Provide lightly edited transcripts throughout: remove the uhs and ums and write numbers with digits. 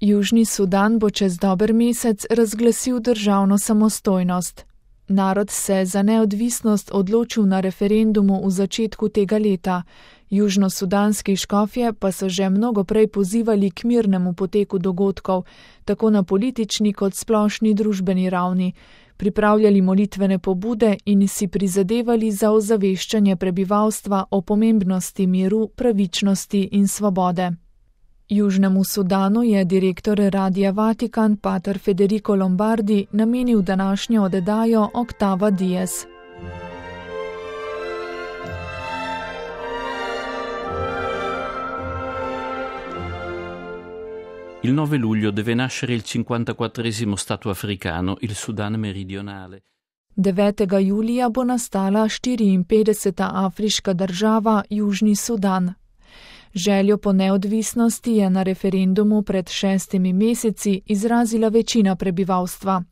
Južni Sudan bo čez dober mesec razglasil državno samostojnost. Narod se za neodvisnost odločil na referendumu v začetku tega leta. Južnosudanski škofje pa so že mnogo prej pozivali k mirnemu poteku dogodkov, tako na politični kot splošni družbeni ravni, pripravljali molitvene pobude in si prizadevali za ozaveščanje prebivalstva o pomembnosti miru, pravičnosti in svobode. Južnemu Sudanu je direktor Radia Vatikan pater Federico Lombardi namenil današnjo oddajo Octava Dies. Il 9 luglio deve nascere il 54esimo Stato africano, il Sudan meridionale. 9. julija bo nastala 54. afriška država, Južni Sudan. Željo po neodvisnosti je na referendumu pred 6 meseci izrazila večina prebivalstva.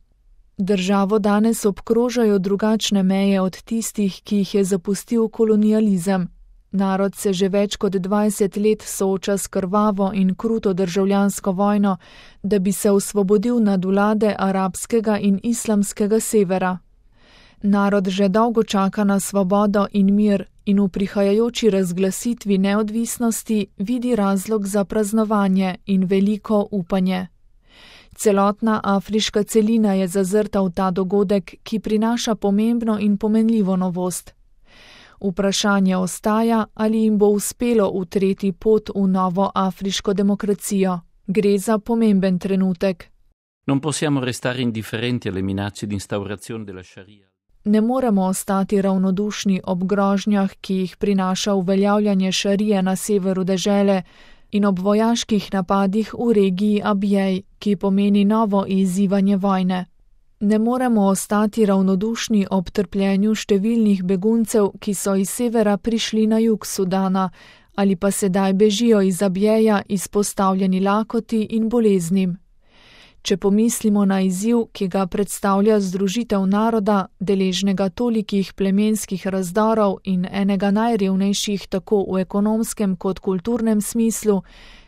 Državo danes obkrožajo drugačne meje od tistih, ki jih je zapustil kolonializem. Narod se že več kot 20 let sooča s krvavo in kruto državljansko vojno, da bi se osvobodil nadvlade arabskega in islamskega severa. Narod že dolgo čaka na svobodo in mir in v prihajajoči razglasitvi neodvisnosti vidi razlog za praznovanje in veliko upanje. Celotna afriška celina je zazrta v ta dogodek, ki prinaša pomembno in pomenljivo novost. Vprašanje ostaja, ali jim bo uspelo utreti pot v novo afriško demokracijo. Gre za pomemben trenutek. Non possiamo restare indifferenti alle minacce di instaurazione della Sharia. Ne moremo ostati ravnodušni ob grožnjah, ki jih prinaša uveljavljanje šarije na severu dežele in ob vojaških napadih v regiji Abjej, ki pomeni novo izzivanje vojne. Ne moremo ostati ravnodušni ob trpljenju številnih beguncev, ki so iz severa prišli na jug Sudana ali pa sedaj bežijo iz Abjeja izpostavljeni lakoti in boleznim. Če pomislimo na izziv, ki ga predstavlja združitev naroda, deležnega tolikih plemenskih razdorov in enega najrevnejših tako v ekonomskem kot kulturnem smislu,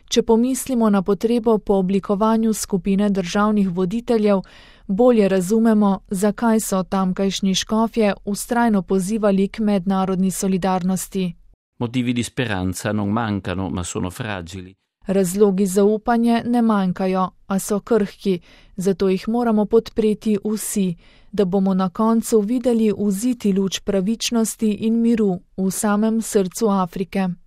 če pomislimo na potrebo po oblikovanju skupine državnih voditeljev, bolje razumemo, zakaj so tamkajšnji škofje vztrajno pozivali k mednarodni solidarnosti. Motivi di speranza non mancano, ma sono fragili. Razlogi za upanje ne manjkajo, a so krhki, zato jih moramo podpreti vsi, da bomo na koncu videli vziti luč pravičnosti in miru v samem srcu Afrike.